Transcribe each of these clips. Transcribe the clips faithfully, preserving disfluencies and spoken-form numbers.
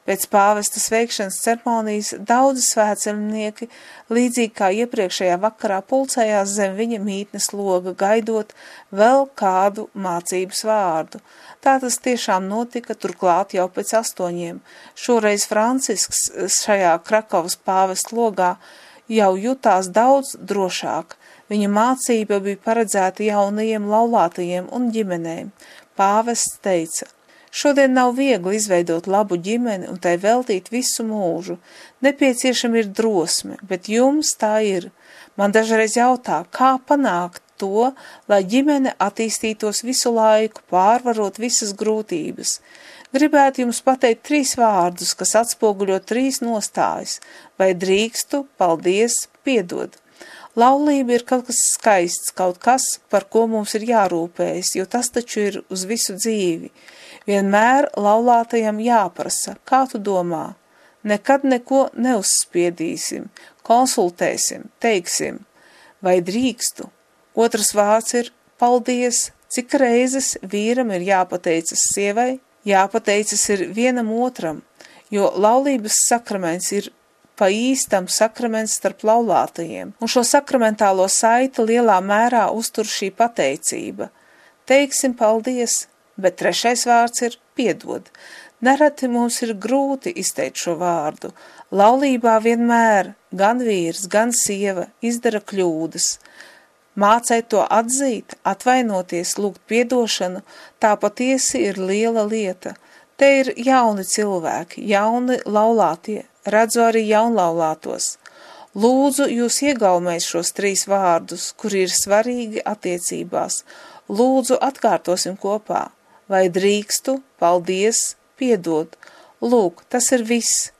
Pēc pāvesta sveikšanas ceremonijas daudzi svētceļnieki, līdzīgi kā iepriekšējā vakarā, pulcējās zem viņa mītnes loga, gaidot vēl kādu mācības vārdu. Tā tas tiešām notika, turklāt jau pēc astoņiem. Šoreiz Francisks šajā Krakovas pāvesta logā jau jutās daudz drošāk. Viņa mācība bija paredzēta jaunajiem laulātajiem un ģimenēm. Pāvests teica: šodien nav viegli izveidot labu ģimeni un tai veltīt visu mūžu. Nepieciešama ir drosme, bet jums tā ir. Man dažreiz jautā, kā panākt to, lai ģimene attīstītos visu laiku, pārvarot visas grūtības. Gribētu jums pateikt trīs vārdus, kas atspoguļo trīs nostājas: vai drīkstu, paldies, piedod. Laulība ir kaut kas skaists, kaut kas, par ko mums ir jārūpējas, jo tas taču ir uz visu dzīvi. Vienmēr laulātajam jāprasa, kā tu domā. Nekad neko neuzspiedīsim, konsultēsim, teiksim, vai drīkstu. Otrs vārds ir paldies. Cik reizes vīram ir jāpateicas sievai? Jāpateicas ir vienam otram, jo laulības sakraments ir pa īstam sakraments starp laulātajiem, un šo sakramentālo saiti lielā mērā uztur šī pateicība. Teiksim paldies, bet trešais vārds ir piedod. Nereti mums ir grūti izteikt šo vārdu. Laulībā vienmēr gan vīrs, gan sieva izdara kļūdas. Mācēt to atzīt, atvainoties, lūgt piedošanu, tā patiesi ir liela lieta. Te ir jauni cilvēki, jauni laulātie, redzu arī jaunlaulātos. Lūdzu jūs iegaumēt šos trīs vārdus, kuri ir svarīgi attiecībās. Lūdzu atkārtosim kopā. Vai drīkstu, paldies, piedod. Lūk, tas ir viss.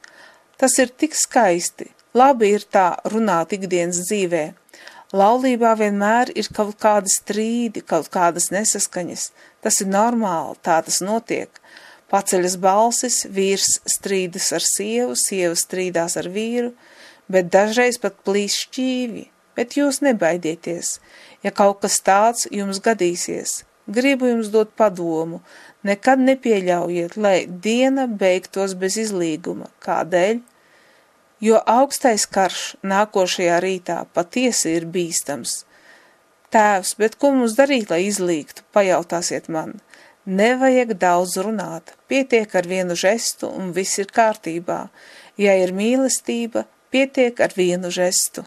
Tas ir tik skaisti. Labi ir tā runāt ikdienas dzīvē. Laulībā vienmēr ir kaut kādi strīdi, kaut kādas nesaskaņas. Tas ir normāli, tā tas notiek. Paceļas balsis, vīrs strīdas ar sievu, sieva strīdās ar vīru, bet dažreiz pat plīs šķīvi. Bet jūs nebaidieties, ja kaut kas tāds jums gadīsies. Gribu jums dot padomu, nekad nepieļaujiet, lai diena beigtos bez izlīguma. Kādēļ? Jo augstais karš nākošajā rītā patiesi ir bīstams. Tēvs, bet ko mums darīt, lai izlīgtu, pajautāsiet man. Nevajag daudz runāt, pietiek ar vienu žestu un viss ir kārtībā. Ja ir mīlestība, pietiek ar vienu žestu.